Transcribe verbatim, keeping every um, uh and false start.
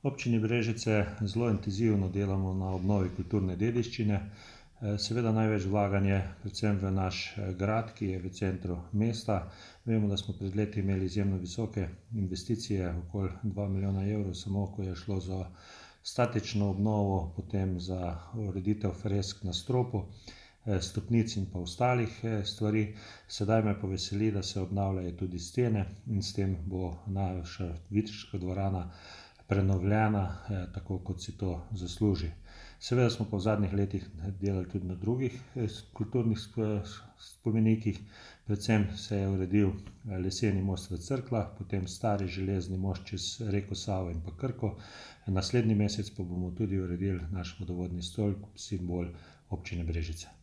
Občini Brežice zelo intenzivno delamo na obnovi kulturne dediščine. Seveda največ vlaganje predvsem v naš grad, ki je v centru mesta. Vemo, da smo pred leti imeli izjemno visoke investicije, okoli dva milijona evrov, samo ko je šlo za statično obnovo, potem za ureditev fresk na stropu, stopnic in pa ostalih stvari. Sedaj me pa veseli, da se obnavljajo tudi stene in s tem bo naša Viteška dvorana prenovljena, tako kot si to zasluži. Seveda smo pa v zadnjih letih delali tudi na drugih kulturnih spomenikih. Predvsem se je uredil leseni most v Cerkljah, potem stari železni most čez reko Savo in pa Krko. Naslednji mesec pa bomo tudi uredili naš vodovodni stolp, simbol občine Brežice.